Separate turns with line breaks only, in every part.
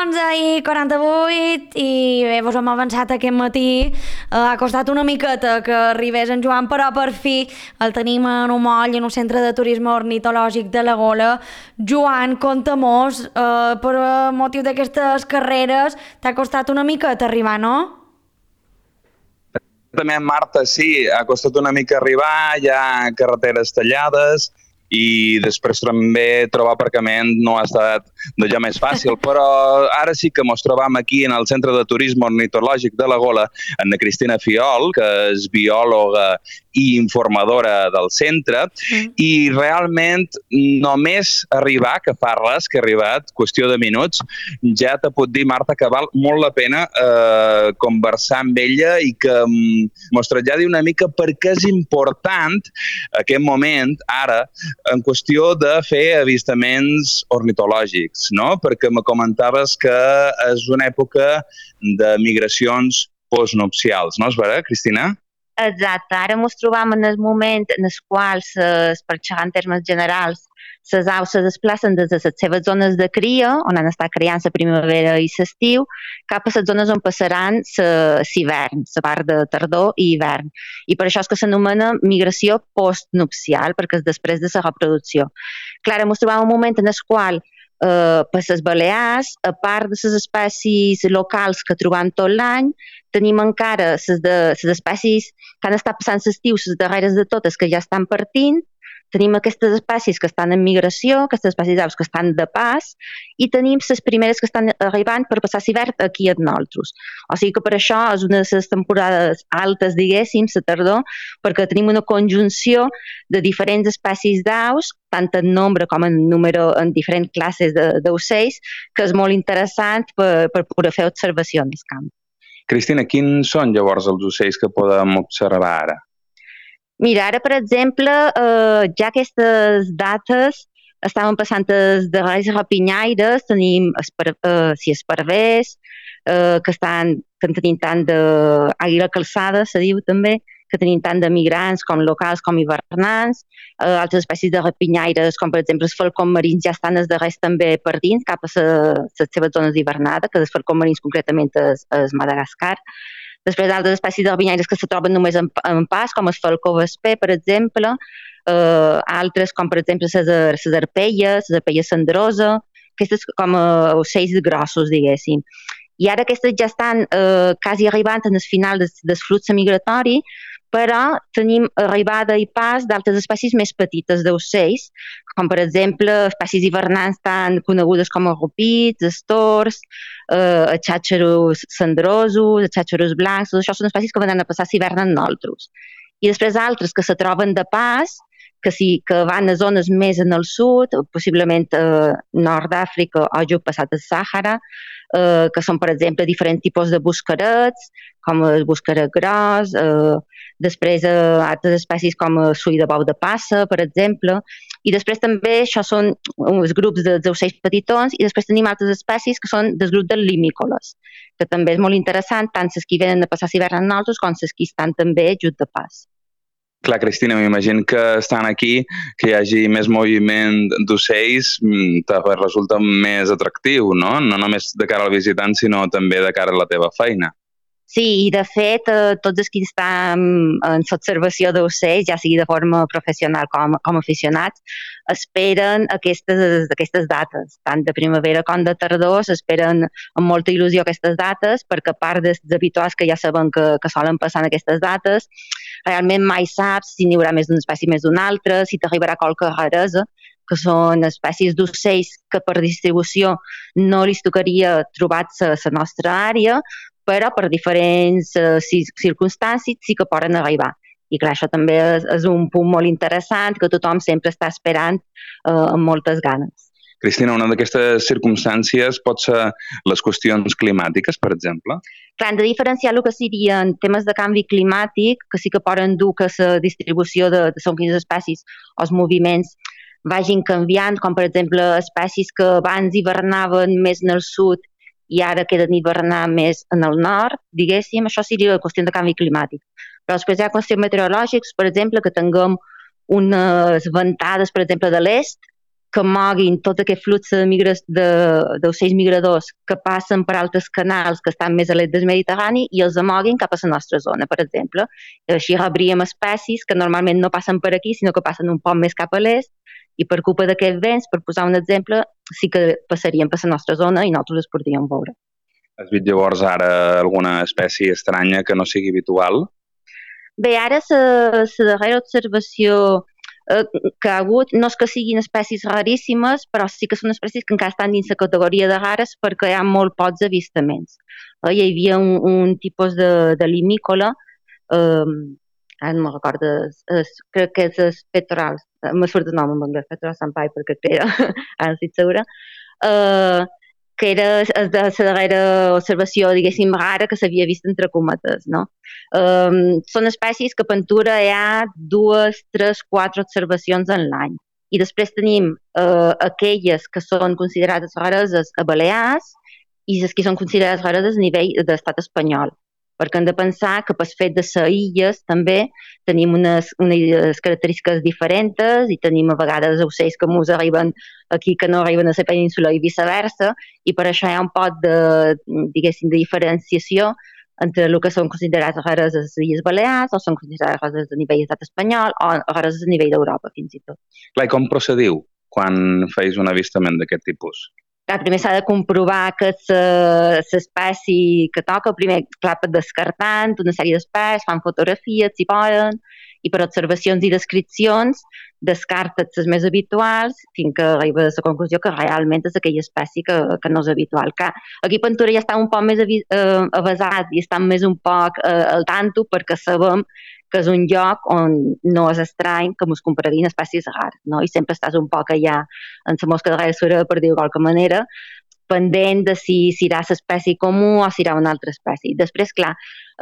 11:48 i bé, vos hem avançat aquest matí. Ha costat una miqueta que arribés en Joan, però per fi el tenim en un moll en un centre de turisme ornitològic de la Gola. Joan, conta-mos, per motiu d'aquestes carreres t'ha costat una miqueta arribar, no?
També, Marta, sí, ha costat una mica arribar, hi ha carreteres tallades i després també trobar aparcament no ha estat d'allò més fàcil, però ara sí que ens trobam aquí en el Centre de Turisme Ornitològic de la Gola amb la Cristina Fiol, que és biòloga i informadora del centre, i realment només arribar, que fa res que ha arribat, qüestió de minuts, ja te puc dir, Marta, que val molt la pena conversar amb ella i que mos traslladi una mica per què és important aquest moment, ara, en qüestió de fer avistaments ornitològics, no? Perquè me comentaves que és una època de migracions postnupcials, no és vera, Cristina?
Exacte, ara ens trobam en el moment en el qual, per xerrar en termes generals, les aus se desplacen des de les seves zones de cria, on han estat criant la primavera i l'estiu, cap a les zones on passaran l'hivern, la part de tardor i hivern. I per això és que s'anomena migració postnupcial, perquè és després de la reproducció. Clar, ens trobam un moment en el qual per les Balears, a part de les espècies locals que trobam tot l'any, tenim encara les espècies que han estat passant l'estiu, les darreres de totes, que ja estan partint, tenim aquestes espècies que estan en migració, aquestes espècies d'aus que estan de pas, i tenim les primeres que estan arribant per passar l'hivern aquí amb nosaltres. O sigui que per això és una de les temporades altes, diguéssim, la tardor, perquè tenim una conjunció de diferents espècies d'aus, tant en nombre com en número, en diferents classes d'ocells, que és molt interessant per poder fer observació en el camp.
Cristina, quins són llavors els ocells que podem observar ara?
Mira, ara, per exemple, ja aquestes dates estaven passant els darrers rapinyaires, tenim esparvers, que en tenim tant d'àguila calçada, se diu també, que tenim tant de migrants com locals com hivernants, altres espècies de rapinyaires, com per exemple els falcons marins ja estan els darrers també per dins, cap a les seves zones d'hivernada, que els falcons marins concretament és Madagascar. Després altres espècies de rapinyaires que se troben només en pas, com el falcó vesper, per exemple, altres com per exemple les arpelles cendrosa, aquestes com ocells grossos, diguéssim. I ara aquestes ja estan quasi arribant al final del flux migratori, però tenim arribada i pas d'altres espècies més petites d'ocells, com per exemple espècies hivernants tan conegudes com els rupits, els tors, els xàxeros cendrosos, els xàxeros blancs, tot això són espècies que van a passar l'hivern amb nosaltres. I després altres que se troben de pas, que van a zones més en el sud, possiblement nord d'Àfrica o just passat el Sàhara, que són, per exemple, diferents tipus de buscarets, com el buscaret gros, després altres espècies com el sull de bou de passa, per exemple, i després també això són uns grups d'ocells petitons, i després tenim altres espècies que són del grup dels limícoles, que també és molt interessant, tant les que venen a passar l'hivern amb nosaltres com les que estan també just de pas.
Clar, Cristina, m'imagino que estan aquí, que hi hagi més moviment d'ocells, resulta més atractiu, no? No només de cara al visitant, sinó també de cara a la teva feina.
Sí, i de fet, tots els que estan en l'observació d'ocells, ja sigui de forma professional com aficionats, esperen aquestes dates, tant de primavera com de tardor, s'esperen amb molta il·lusió aquestes dates, perquè a part dels habituals que ja saben que solen passar en aquestes dates, realment mai saps si n'hi haurà més d'una espècie més d'una altra, si t'arribarà qualque raresa, que són espècies d'ocells que per distribució no li tocaria trobar-se a la nostra àrea, però per diferents circumstàncies sí que poden arribar. I clar, això també és un punt molt interessant que tothom sempre està esperant amb moltes ganes.
Cristina, una d'aquestes circumstàncies pot ser les qüestions climàtiques, per exemple?
Clar, hem de diferenciar el que serien temes de canvi climàtic, que sí que poden dur que la distribució de segons espècies o els moviments vagin canviant, com per exemple espècies que abans hivernaven més en el sud i ara queden hivernar més en el nord, diguéssim, això seria la qüestió de canvi climàtic. Però després hi ha qüestions meteorològiques, per exemple, que tinguem unes ventades, per exemple, de l'est, que moguin tot aquest flux d'ocells migradors que passen per altres canals que estan més a l'est del Mediterrani i els amoguin cap a la nostra zona, per exemple. Així rebríem espècies que normalment no passen per aquí, sinó que passen un poc més cap a l'est, i per culpa d'aquests vents, per posar un exemple, sí que passarien per la nostra zona i nosaltres els podríem veure.
Has vist llavors ara alguna espècie estranya que no sigui habitual?
Bé, ara la darrera observació que ha hagut, no és que siguin espècies raríssimes, però sí que són espècies que encara estan dins la categoria de rares perquè hi ha molt pocs avistaments. Hi havia un tipus de limícola, ara no me'n recordo, crec que és el petorals, m'ha surt el nom en anglès, petorals sampai, perquè era, ara no estic segura, que era de la darrera observació, diguéssim, rara que s'havia vist entre cometes, no? Són espècies que a Ventura hi ha 2, 3, 4 observacions en l'any. I després tenim aquelles que són considerades rareses a Balears i les que són considerades rareses a nivell de l'estat espanyol. Perquè hem de pensar que pel fet de ser illes també tenim unes característiques diferents i tenim a vegades ocells que ens arriben aquí que no arriben a la península i viceversa, i per això hi ha un poc de, diguéssim, de diferenciació entre el que són considerats rares a les Illes Balears o són considerats rares a nivell d'estat espanyol o rares a nivell d'Europa, fins i tot.
Clar, i com procediu quan feis un avistament d'aquest tipus?
Clar, primer s'ha de comprovar que l'espècie que toca, primer, clar, descartant una sèrie d'espècies, fan fotografies, si poden, i per observacions i descripcions descarten les més habituals fins que arriba a la conclusió que realment és aquella espècie que no és habitual. Clar, aquí a Ventura ja està un poc més avasat i estan més un poc al tanto perquè sabem que és un lloc on no és estrany que ens compareguin espècies rares, no? I sempre estàs un poc allà en la mosca darrere sura, per dir-ho de qualque manera, pendent de si serà l'espècie comú o si serà una altra espècie. Després, clar,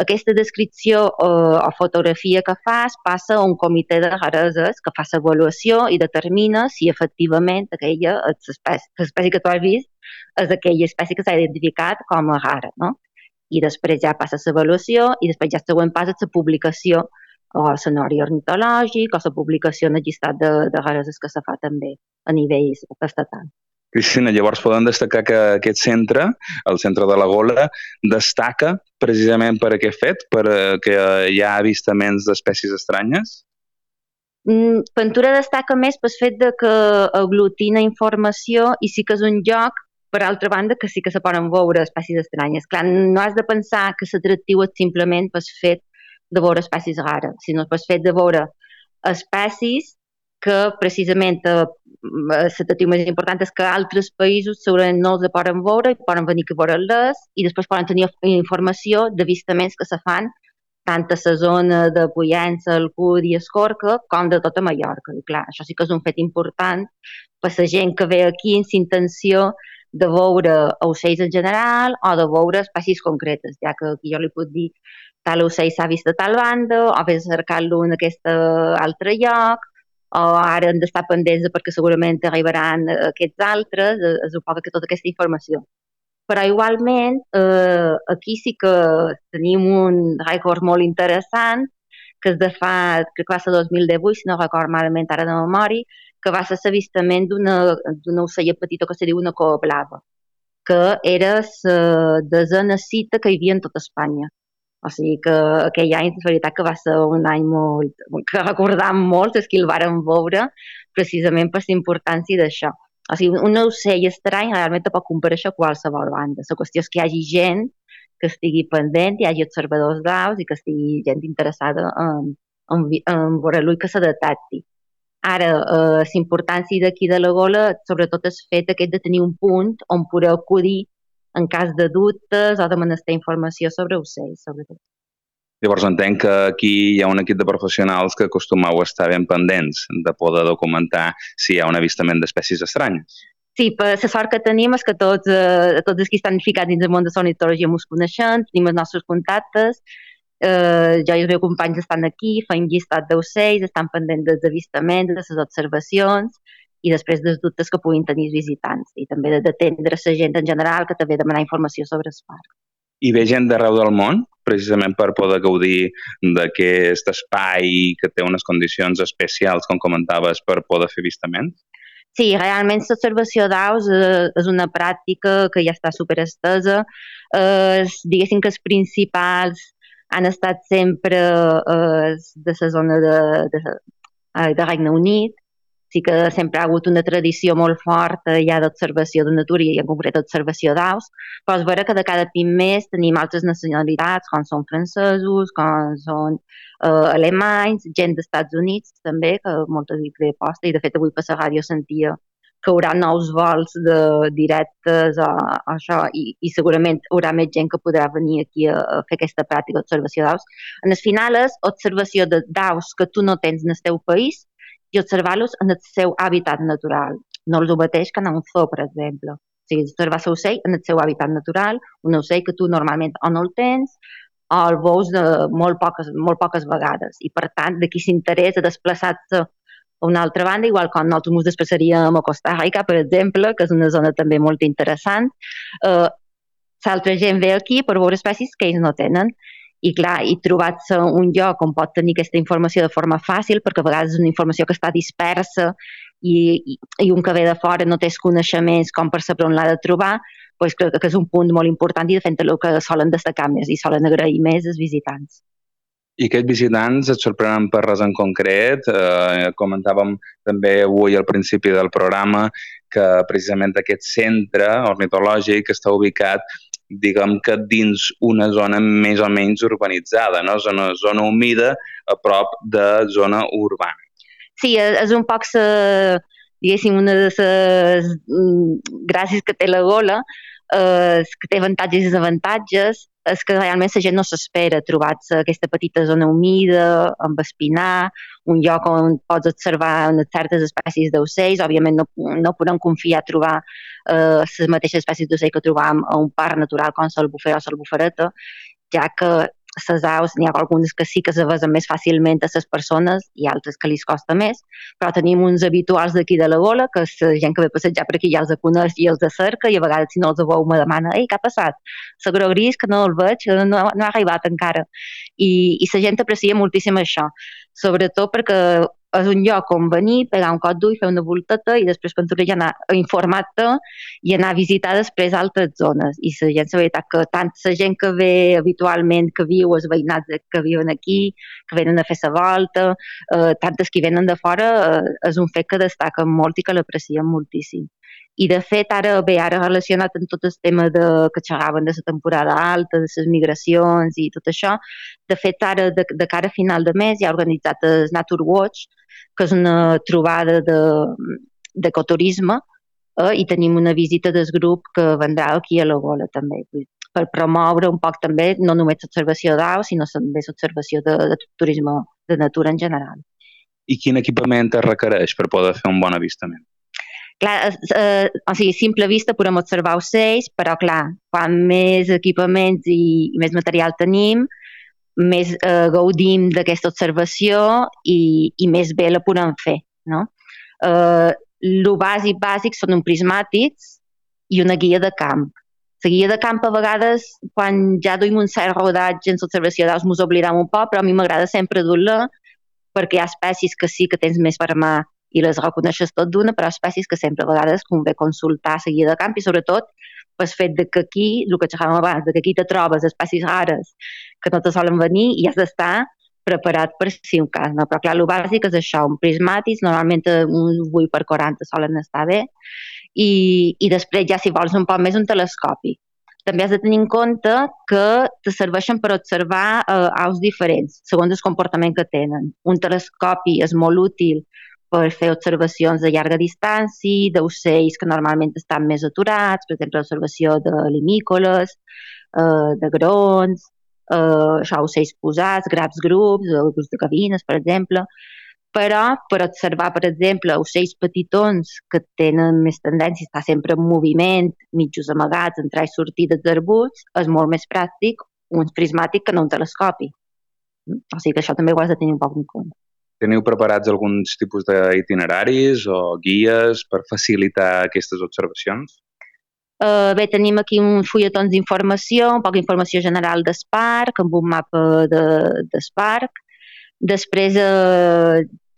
aquesta descripció o fotografia que fas passa a un comitè de rareses que fa l'avaluació i determina si efectivament aquella l'espècie que tu has vist és aquella espècie que s'ha identificat com a rara, no? I després ja passa l'avaluació i després ja el següent pas és la publicació o el sonori ornitològic o la publicació en el llistat de rareses que se fa també a nivell estatal.
Cristina, llavors podem destacar que aquest centre, el centre de la Gola, destaca precisament per aquest fet, perquè hi ha avistaments d'espècies estranyes?
Ventura destaca més pel fet de que aglutina informació i sí que és un lloc, per altra banda, que sí que se poden veure espècies estranyes. Clar, no has de pensar que l'atractiu és simplement pel fet de veure espècies rares, sinó pel fet de veure espècies que precisament l'atractiu més important és que altres països segurament no els poden veure i poden venir a veure-les i després poden tenir informació d'avistaments que se fan tant a la zona de Pollença, Alcúdia i Escorca com de tota Mallorca. I clar, això sí que és un fet important per la gent que ve aquí amb l'intenció de veure ocells en general o de veure espècies concretes, ja que aquí jo li puc dir tal ocell s'ha vist a tal banda o vés a cercar-lo en aquest altre lloc o ara hem d'estar pendents perquè segurament arribaran aquests altres, és un poc tota aquesta informació. Però igualment aquí sí que tenim un rècord molt interessant que és de fa, crec que va ser 2018, si no record malament ara de memòria, que va ser l'avistament d'una ocella petita que se diu una cova blava, que era la desena cita que hi havia en tota Espanya. O sigui que aquell any, és veritat que va ser un any molt, que recordam molt, és que el vàrem veure precisament per la importància d'això. O sigui, un ocell estrany realment te pot comparèixer a qualsevol banda. La qüestió és que hi hagi gent que estigui pendent, hi hagi observadors d'aus i que estigui gent interessada en veure-lo i que se detecti. Ara, la importància d'aquí de la Gola, sobretot és fet aquest de tenir un punt on poder acudir en cas de dubtes o de menester informació sobre ocells, sobretot.
Llavors entenc que aquí hi ha un equip de professionals que acostumeu a estar ben pendents de poder documentar si hi ha un avistament d'espècies estranyes.
Sí, per la sort que tenim és que tots els que estan ficats dins el món de l'ornitologia ens coneixem, tenim els nostres contactes, jo i els meus companys estan aquí, fem llistat d'ocells, estan pendents dels avistaments, de les observacions i després dels dubtes que puguin tenir els visitants i també d'atendre la gent en general que també demanar informació sobre el parc.
I ve gent d'arreu del món, precisament per poder gaudir d'aquest espai que té unes condicions especials, com comentaves, per poder fer avistaments?
Sí, realment l'observació d'aus és una pràctica que ja està superestesa. Diguéssim que els principals han estat sempre de la zona de Regne Unit. Sí que sempre ha hagut una tradició molt forta ja d'observació de natura i en concret d'observació d'aus, però és vera que de cada cop més tenim altres nacionalitats, com són francesos, com són alemanys, gent dels Estats Units també, que molta gent ve posta, i de fet avui per la ràdio sentia que hi haurà nous vols directes o això, i segurament hi haurà més gent que podrà venir aquí a fer aquesta pràctica d'observació d'aus. En el final és observació d'aus que tu no tens en el teu país i observar-los en el seu hàbitat natural. No és el mateix que anar a un zoo, per exemple. O sigui, observar l'ocell en el seu hàbitat natural, un ocell que tu normalment o no el tens o el veus molt poques vegades. I per tant, d'aquí s'interès a desplaçar-se a una altra banda, igual com nosaltres ens desplaçaríem a Costa Rica, per exemple, que és una zona també molt interessant. L'altra gent ve aquí per veure espècies que ells no tenen. I clar, i trobar-se un lloc on pot tenir aquesta informació de forma fàcil, perquè a vegades és una informació que està dispersa i un que ve de fora no té coneixements com per saber on l'ha de trobar, doncs crec que és un punt molt important i de fet el que solen destacar més i solen agrair més els visitants.
I aquests visitants et sorprenen per res en concret? Comentàvem també avui al principi del programa que precisament aquest centre ornitològic està ubicat, diguem que dins una zona més o menys urbanitzada, no? Zona humida a prop de zona urbana.
Sí, és un poc, diguéssim, una de les gràcies que té la Gola, que té avantatges i desavantatges, és que realment la gent no s'espera trobar-se aquesta petita zona humida, amb espinar, un lloc on pots observar certes espècies d'ocells. Òbviament no podem confiar a trobar les mateixes espècies d'ocells que trobam a un parc natural com l'albufera o l'albufereta, ja que les aus n'hi ha algunes que sí que se vesen més fàcilment a les persones i altres que li costa més, però tenim uns habituals d'aquí de la Gola que la gent que ve a passejar per aquí ja els coneix i els cerca, i a vegades si no els veu me demana: «Ei, què ha passat? Seguró gris, que no el veig, no ha arribat encara». I la gent aprecia moltíssim això, sobretot perquè és un lloc on venir, pegar un cop d'ull, fer una volteta i després ja anar a informar-te i anar a visitar després altres zones. I la gent, la veritat, que tant la gent que ve habitualment, que viu, els veïnats que viuen aquí, que venen a fer la volta, tantes que venen de fora, és un fet que destaquen molt i que l'aprecien moltíssim. I de fet, ara relacionat amb tot el tema que xerraven de la temporada alta, de les migracions i tot això, de fet, ara, de cara a final de mes, hi ha organitzat el Nature Watch, que és una trobada d'ecoturisme, i tenim una visita del grup que vendrà aquí a la Gola també, per promoure un poc també no només l'observació d'aus, sinó també l'observació de turisme de natura en general.
I quin equipament es requereix per poder fer un bon avistament?
Clar, o sigui, a simple vista podem observar ocells, però clar, quan més equipaments i més material tenim, més gaudim d'aquesta observació i més bé la podem fer, no? El bàsic són uns prismàtics i una guia de camp. La guia de camp a vegades, quan ja duim un cert rodatge en l'observació d'aus, ens oblidem un poc, però a mi m'agrada sempre dur-la perquè hi ha espècies que sí que tens més per mà i les reconeixes tot d'una, però espècies que sempre a vegades convé consultar la guia de camp i sobretot pel fet que aquí, el que xerràvem abans, que aquí te trobes espècies rares que no te solen venir i has d'estar preparat per si un cas, no? Però clar, el bàsic és això, un prismàtic, normalment uns 8x40 solen estar bé, i després ja si vols un poc més un telescopi. També has de tenir en compte que te serveixen per observar aus diferents, segons el comportament que tenen. Un telescopi és molt útil per fer observacions de llarga distància, d'ocells que normalment estan més aturats, per exemple, l'observació de limícoles, de grons, ocells posats, grans grups, grups de gavines, per exemple. Però per observar, per exemple, ocells petitons que tenen més tendència a estar sempre en moviment, mitjos amagats, entrar i sortir dels arbusts, és molt més pràctic un prismàtic que no un telescopi. O sigui que això també ho has de tenir un poc en compte.
Teniu preparats alguns tipus d'itineraris o guies per facilitar aquestes observacions?
Bé, tenim aquí uns fulletons d'informació, un poc d'informació general del parc, amb un mapa del parc. Després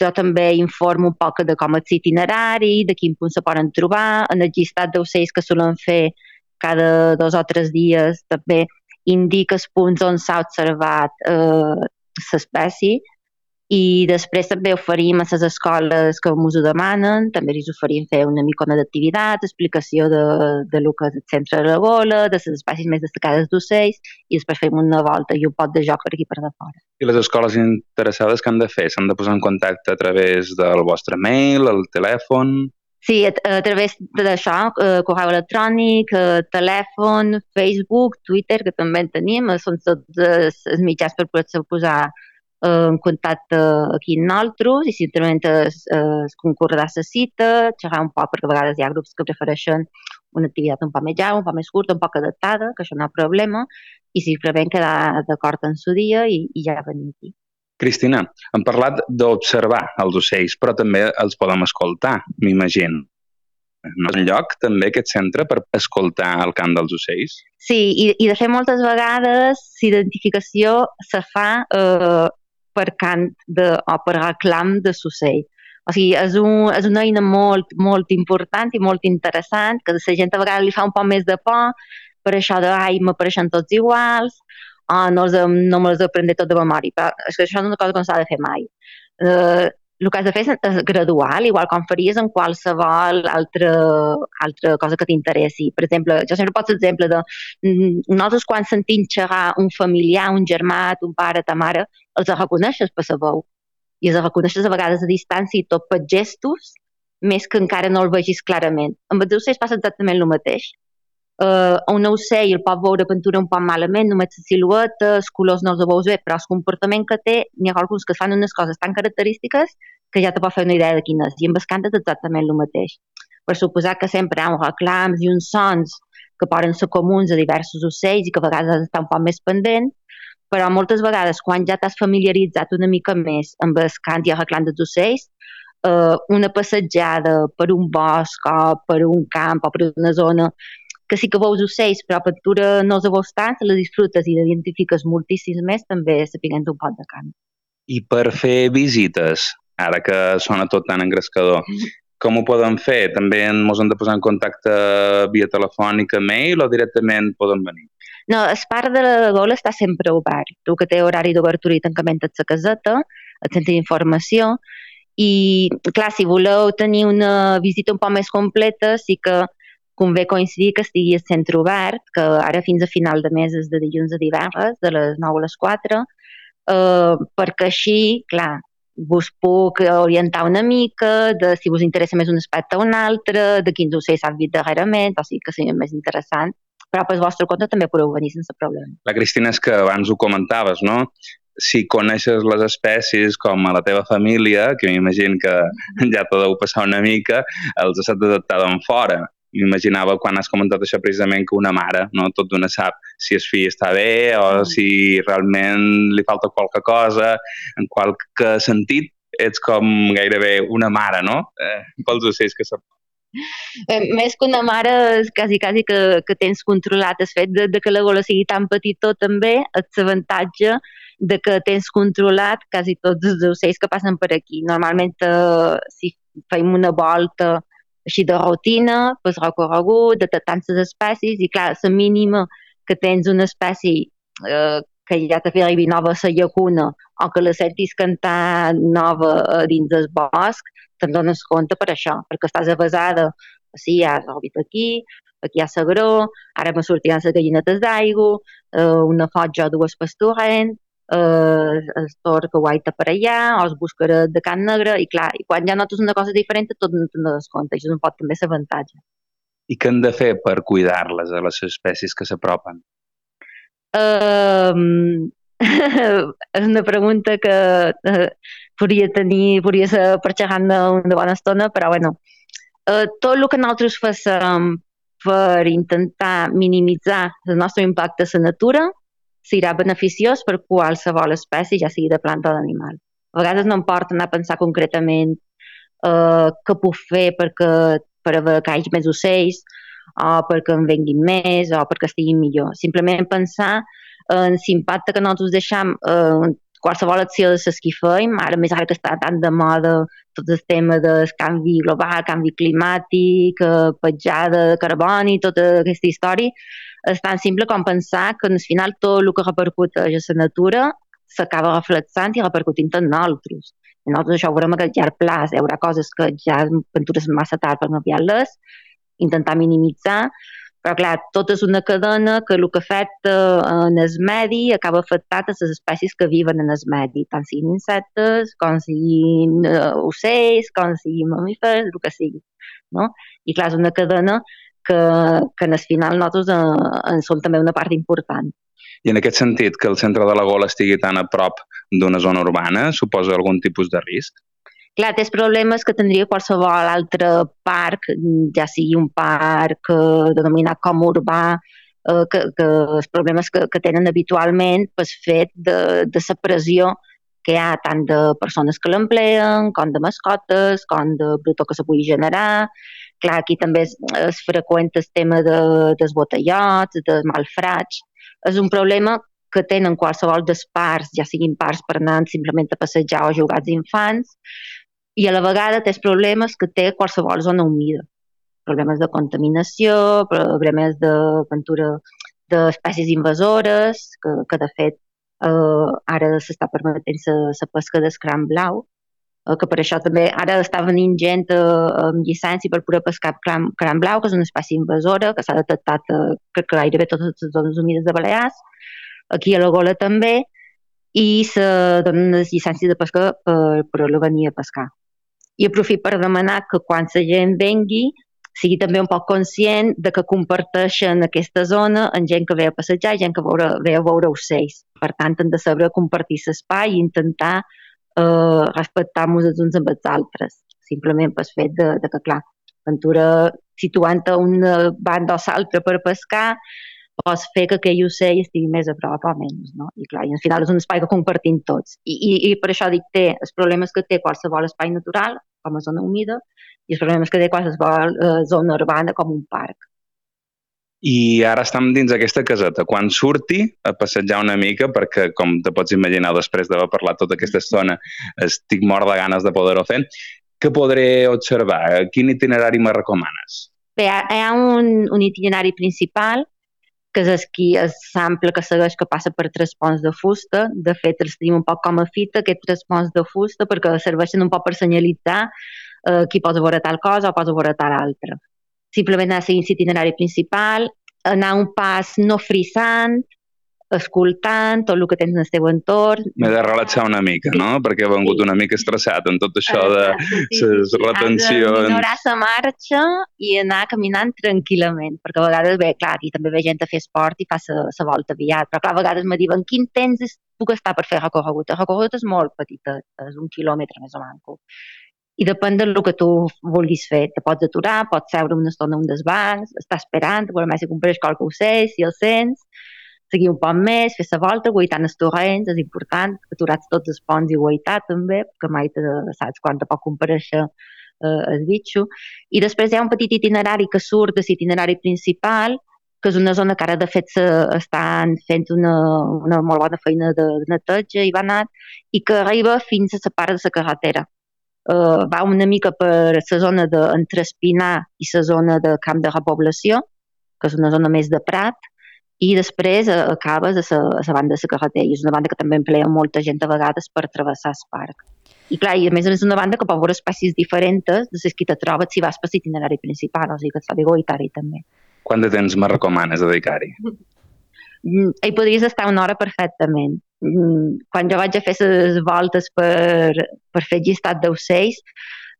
jo també informo un poc de com és l'itinerari, de quin punt se poden trobar, en el llistat d'ocells que solen fer cada 2 o 3 dies també indica els punts on s'ha observat l'espècie, i després també oferim a les escoles que ens ho demanen, també els oferim fer una micona d'activitat, explicació de lo que és el centre de la gola, de les espècies més destacades d'ocells, i després fem una volta i un pot de joc per aquí per de fora.
I les escoles interessades què han de fer? S'han de posar en contacte a través del vostre mail, el telèfon?
Sí, a través d'això, correu electrònic, telèfon, Facebook, Twitter, que també en tenim, són tots els mitjans per poder-se posar en contacte aquí amb nosaltres, i simplement es concordar la cita, xerrar un poc, perquè a vegades hi ha grups que prefereixen una activitat un poc més llarga, un poc més curta, un poc adaptada, que això no hi ha problema, i simplement quedar d'acord en su dia i ja venir aquí.
Cristina, hem parlat d'observar els ocells, però també els podem escoltar, m'imagino. No és un lloc, també, aquest centre, per escoltar el cant dels ocells?
Sí, i de fet moltes vegades l'identificació se fa per cant o per reclam de l'ocell. O sigui, és una eina molt, molt important i molt interessant, que la gent a vegades li fa un poc més de por, per això de, m'apareixen tots iguals, no me les aprendré tot de memòria, però és que això és una cosa que no s'ha de fer mai. El que has de fer és gradual, igual com faries en qualsevol altra cosa que t'interessi. Per exemple, jo sempre poso l'exemple de nosaltres quan sentim xerrar un familiar, un germà, un pare, ta mare, els reconeixes per la veu. I els reconeixes a vegades a distància i tot per gestos, més que encara no el vegis clarament. Amb els ocells passa exactament el mateix. Un ocell el pot veure pintura un poc malament, només la silueta, els colors no els veus bé, però el comportament que té, n'hi ha alguns que fan unes coses tan característiques que ja te pot fer una idea de quin és. I amb el cant és exactament el mateix. Per suposar que sempre hi ha uns reclams i uns sons que poden ser comuns a diversos ocells i que a vegades has d'estar un poc més pendent, però moltes vegades quan ja t'has familiaritzat una mica més amb el cant i el reclam dels ocells, una passejada per un bosc o per un camp o per una zona que sí que veus ocells, però a pintura no els veus tant, les disfrutes i l'identifiques moltíssims més, també sapiguent un pot de cant.
I per fer visites, ara que sona tot tan engrescador, com ho podem fer? També ens hem de posar en contacte via telefònica, mail, o directament podem venir?
No, el parc de la Gola està sempre obert. Tu que té horari d'obertura i tancament a la caseta, el centre d'informació, i clar, si voleu tenir una visita un poc més completa, sí que convé coincidir que estigui el centre obert, que ara fins a final de mes és de dilluns a divendres, de les 9 a les 4, perquè així, clar, vos puc orientar una mica de si us interessa més un aspecte o un altre, de quins ocells s'han vist darrerament, o sigui que seria més interessant, però pel vostre compte també podeu venir sense problema.
La Cristina, és que abans ho comentaves, no? Si coneixes les espècies com a la teva família, que m'imagino que ja t'ho deu passar una mica, els has d'adaptar d'en fora. M'imaginava quan has comentat això precisament que una mare, no, tot d'una sap si el fill està bé o si realment li falta qualque cosa, en qualque sentit ets com gairebé una mare, no? Pels ocells que sap.
Més que una mare és quasi que tens controlat el fet de que la gola sigui tan petitó també, és l'avantatge de que tens controlat quasi tots els ocells que passen per aquí. Normalment si fem una volta així de rutina, pues recorregut, detectant les espècies, i clar, la mínima que tens una espècie que ja t'ha fet arribar nova a la llacuna o que la sentis cantar nova dins del bosc, te'n dones compte per això, perquè estàs avasada, sí, ja has rebut aquí hi ha l'agró, ara me sortiran les gallinetes d'aigua, una fotja o dues pastorent, el tor que guaita per allà, o els buscarets de can negre, i clar, i quan ja notes una cosa diferent, tot no te'n dones compte, això és un poc també l'avantatge.
I què hem de fer per cuidar-les, a les espècies que s'apropen?
És una pregunta que podria ser per xerrar una bona estona, però bueno, tot el que nosaltres fem per intentar minimitzar el nostre impacte a la natura serà beneficiós per qualsevol espècie, ja sigui de planta o d'animal. A vegades no em porta anar a pensar concretament què puc fer per haver que hi hagi més ocells, o perquè en venguin més, o perquè estiguin millor. Simplement pensar en l'impacte que nosaltres deixam qualsevol acció de les que fem, més ara que està tan de moda tot el tema del canvi global, canvi climàtic, petjada de carboni, tota aquesta història, és tan simple com pensar que al final tot el que repercuteix a la natura s'acaba reflexant i repercutint en nosaltres. I nosaltres això ho veurem a llarg plaç, hi haurà coses que ja aventures massa tard per canviar-les, intentar minimitzar, però clar, tot és una cadena que el que afecta en el medi acaba afectant a les espècies que viven en el medi, tant siguin insectes, com siguin ocells, com siguin mamífers, el que sigui. No? I clar, és una cadena que en el final nosaltres en som també una part important.
I en aquest sentit, que el centre de la Gola estigui tan a prop d'una zona urbana suposa algun tipus de risc?
Clar, té els problemes que tindria qualsevol altre parc, ja sigui un parc denominat com urbà, que els problemes que tenen habitualment pel fet de la pressió que hi ha tant de persones que l'empleen, com de mascotes, com de bruto que se pugui generar. Clar, aquí també és freqüent el tema dels botellots, dels malfrats. És un problema que tenen qualsevol dels parcs, ja siguin parcs per anar simplement a passejar o jugar als infants, i a la vegada té problemes que té qualsevol zona humida. Problemes de contaminació, problemes de pintura d'espècies invasores, que de fet ara s'està permetent la pesca d'escram blau, que per això també ara està venint gent amb llicència per poder pescar cram blau, que és una espècie invasora, que s'ha detectat que gairebé totes les zones humides de Balears, aquí a la Gola també, i se donen les llicències de pesca per poder-la venir a pescar. I aprofito per demanar que quan la gent vengui sigui també un poc conscient de que comparteixen aquesta zona amb gent que ve a passejar i gent que ve a veure ocells. Per tant, han de saber compartir l'espai i intentar respectar-nos els uns amb els altres. Simplement pel fet de que, clar, l'aventura situant a una banda o l'altra per pescar pots fer que aquell ocell estigui més a prop o menys, no? I clar, i al final és un espai que compartim tots. I per això dic, té els problemes que té qualsevol espai natural, com a zona humida, i els problemes que té qualsevol zona urbana com un parc.
I ara estem dins aquesta caseta. Quan surti a passejar una mica, perquè com te pots imaginar després d'haver parlat tota aquesta estona, estic mort de ganes de poder-ho fer, què podré observar? Quin itinerari me recomanes?
Bé, hi ha un itinerari principal, que és l'ample que segueix, que passa per 3 ponts de fusta. De fet, els tenim un poc com a fita, aquests 3 ponts de fusta, perquè serveixen un poc per senyalitzar qui posa veure tal cosa o posa veure tal altra. Simplement anar seguint l'itinerari principal, anar un pas no frisant, escoltant tot el que tens en el teu entorn.
M'he de relaxar una mica, no? Perquè he vengut una mica estressat en tot això de les retencions.
Has de minorar la marxa i anar caminant tranquil·lament, perquè a vegades, bé, clar, aquí també ve gent a fer esport i fa la volta aviat, però clar, a vegades me diuen quin temps puc estar per fer recorregut. El recorregut és molt petit, és 1 quilòmetre més o menys. I depèn del que tu vulguis fer. Te pots aturar, pots seure una estona a un dels bancs, estar esperant, veure si compreix qualque ocell, si el sents, seguir un poc més, fer la volta, guaitant els torrents, és important, aturats tots els ponts i guaitar també, perquè mai saps quan te pot compareixer el bitxo. I després hi ha un petit itinerari que surt de l'itinerari principal, que és una zona que ara de fet estan fent una molt bona feina de neteja i banat, i que arriba fins a la part de la carretera. Va una mica per la zona entre Espinar i la zona de Camp de Repoblació, que és una zona més de prat, i després acabes a la banda de la carretera, i és una banda que també emplea molta gent a vegades per travessar el parc. I clar, i a més és una banda que pot veure espècies diferents de les que te trobes si vas per l'itinerari principal, o sigui que et fa bé guaitar-hi també.
Quant de temps me recomanes dedicar-hi?
Hi podries estar 1 hora perfectament. Quan jo vaig a fer les voltes per fer llistat d'ocells,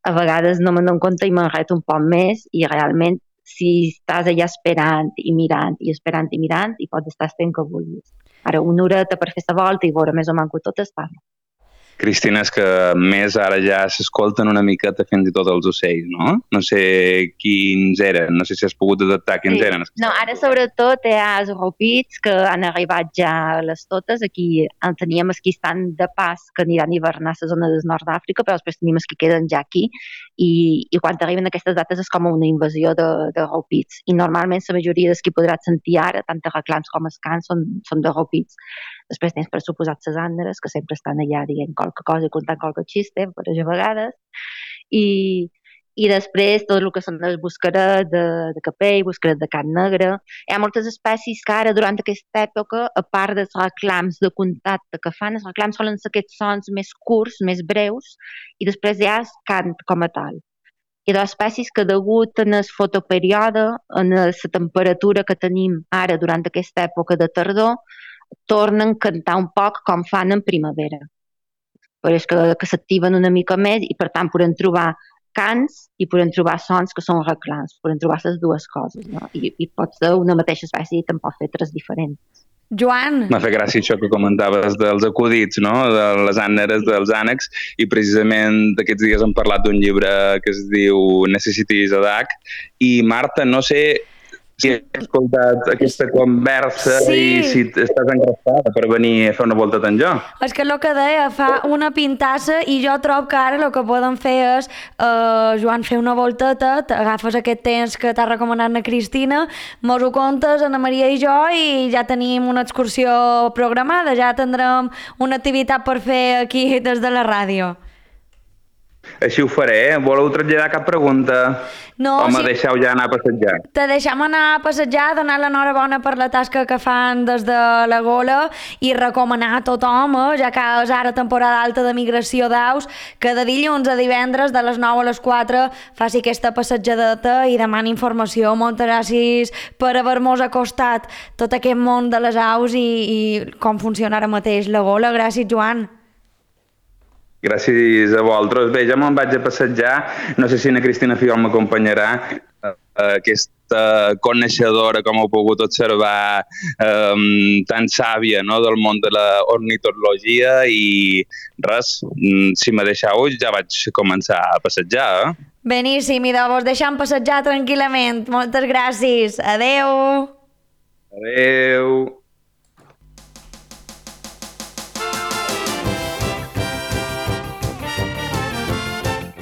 a vegades no me'n dono compte i m'enreto un poc més, i realment si estàs allà esperant i mirant i esperant i mirant, i pots estar fent que vulguis. Ara, 1 horeta per fer la volta i veure més o menys tot està.
Cristina, és que més ara ja s'escolten una miqueta fins i tot els ocells, no? No sé quins eren, no sé si has pogut detectar quins eren.
No, ara sobretot hi ha els ropits que han arribat ja a les totes. Aquí en teníem els que estan de pas, que aniran a hivernar a la zona del nord d'Àfrica, però després tenim els que queden ja aquí, i quan arriben aquestes dates és com una invasió de ropits. I normalment la majoria dels que podràs sentir ara, tant de reclams com els cants, són de ropits. Després tens, per suposat, les àneres, que sempre estan allà dient qualque cosa i contant qualque xiste, per a vegades, i després tot el que són els buscarets de capell, buscarets de carn negra. Hi ha moltes espècies que ara, durant aquesta època, a part dels reclams de contacte que fan, els reclams solen ser aquests sons més curts, més breus, i després hi ha el cant com a tal. Hi ha espècies que, degut en el fotoperíode, en la temperatura que tenim ara durant aquesta època de tardor, tornen a cantar un poc com fan en primavera. Però és que s'activen una mica més i, per tant, podem trobar cants i podem trobar sons que són reclams, podem trobar les dues coses, no? I pot ser una mateixa espècie i tampoc fer tres diferents.
Joan!
M'ha fet gràcia això que comentaves dels acudits, no? De les àneres, dels ànecs, i precisament aquests dies hem parlat d'un llibre que es diu Necessities a Duck, i Marta, no sé si has escoltat aquesta conversa i si estàs engraspada per venir a fer una volta tan jo.
És que el que deia, fa una pintassa i jo trobo que ara el que podem fer és, Joan, fer una volteta, agafes aquest temps que t'ha recomanat la Cristina, mos ho contes, Ana Maria i jo, i ja tenim una excursió programada, ja tindrem una activitat per fer aquí des de la ràdio.
Així ho faré. Voleu traslladar cap pregunta?
No,
o me deixeu ja anar a passejar?
Te deixem anar a passejar, donar l'enhorabona per la tasca que fan des de la Gola i recomanar a tothom, ja que és ara temporada alta de migració d'aus, que de dilluns a divendres de les 9 a les 4 faci aquesta passejadeta i demani informació. Moltes gràcies per haver-nos acostat tot aquest món de les aus i com funciona ara mateix la Gola. Gràcies, Joan.
Gràcies a vosaltres. Bé, ja me'n vaig a passejar. No sé si na Cristina Fiol m'acompanyarà. Aquesta coneixedora, com heu pogut observar, tan sàvia, no?, del món de l'ornitologia, i res, si me deixeu ja vaig començar a passejar.
Beníssim, i vos deixem passejar tranquil·lament. Moltes gràcies. Adeu.
Adeu.